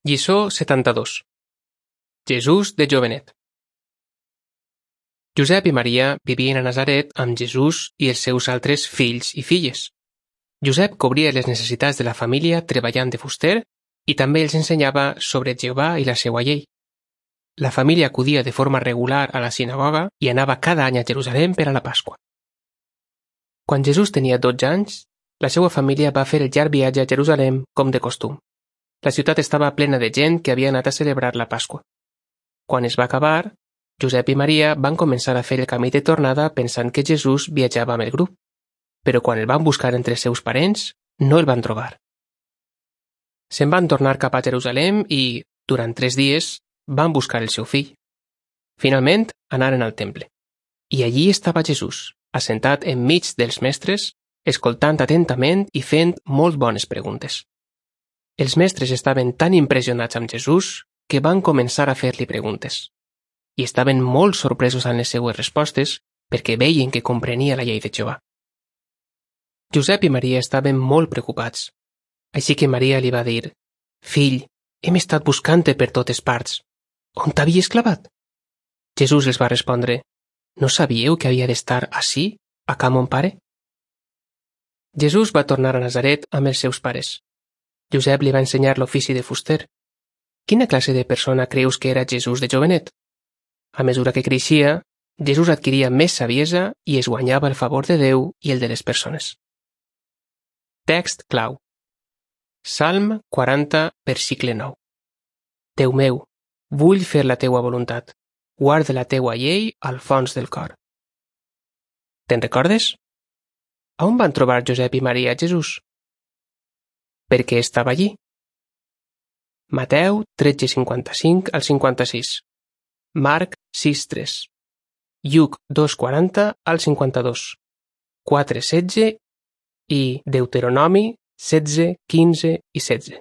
Lliçó 72. Jesús de jovenet. Josep i Maria vivien a Nazaret amb Jesús i els seus altres fills i filles. Josep cobria les necessitats de la família treballant de fuster i també els ensenyava sobre Jehovà i la seva llei. La família acudia de forma regular a la sinagoga i anava cada any a Jerusalem per a la Pasqua. Quan Jesús tenia 12 anys, la seva família va fer el llarg viatge a Jerusalem com de costum. La ciutat estava plena de gent que havia anat a celebrar la Pasqua. Quan es va acabar, Josep i Maria van començar a fer el camí de tornada pensant que Jesús viatjava amb el grup, però quan el van buscar entre els seus parents, no el van trobar. Se'n van tornar cap a Jerusalem i, durant 3 dies, van buscar el seu fill. Finalment, anaren al temple. I allí estava Jesús, assentat enmig dels mestres, escoltant atentament i fent molt bones preguntes. Els mestres estaven tan impressionats amb Jesús que van començar a fer-li preguntes. I estaven molt sorpresos amb les seues respostes perquè veien que comprenia la llei de Jehovà. Josep i Maria estaven molt preocupats. Així que Maria li va dir: «Fill, hem estat buscant-te per totes parts. On t'havies clavat?» Jesús els va respondre: «No sabíeu que havia d'estar ací, a ca mon pare?» Jesús va tornar a Nazaret amb els seus pares. Josep li va ensenyar l'ofici de fuster. Quina classe de persona creus que era Jesús de jovenet? A mesura que creixia, Jesús adquiria més saviesa i es guanyava el favor de Déu i el de les persones. Text clau. Salm 40, versicle 9. Déu meu, vull fer la teua voluntat. Guarda la teua llei al fons del cor. Te'n recordes? A on van trobar Josep i Maria Jesús? Per què estava allí? Mateu 13:55 al 56. Marc 6:3. Lluc 2:40 al 52. 4:16 i Deuteronomi 16, 15 i 16.